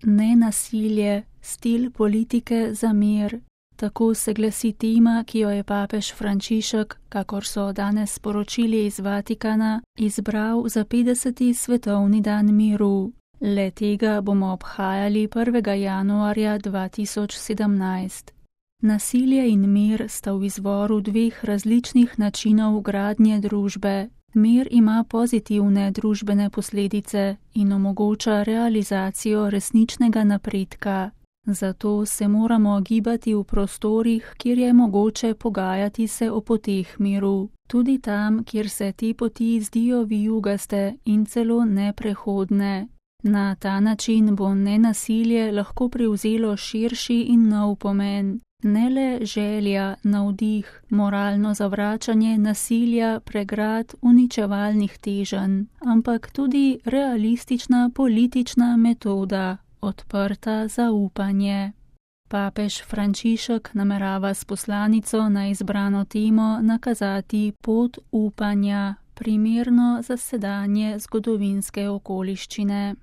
Nenasilje, stil politike za mir. Tako se glasi tema, ki jo je papež Frančišek, kakor so danes sporočili iz Vatikana, izbral za 50. svetovni dan miru. Le tega bomo obhajali 1. januarja 2017. Nasilje in mir sta v izvoru dveh različnih načinov gradnje družbe. Mir ima pozitivne družbene posledice in omogoča realizacijo resničnega napredka. Zato se moramo gibati v prostorih, kjer je mogoče pogajati se o poteh miru. Tudi tam, kjer se te poti zdijo vijugaste in celo neprehodne. Na ta način bo nenasilje lahko prevzelo širši in nov pomen. Ne le želja, navdih, moralno zavračanje nasilja, pregrad, uničevalnih teženj, ampak tudi realistična politična metoda, odprta za upanje. Papež Frančišek namerava s poslanico na izbrano temo nakazati pot upanja, primerno za sedanje zgodovinske okoliščine.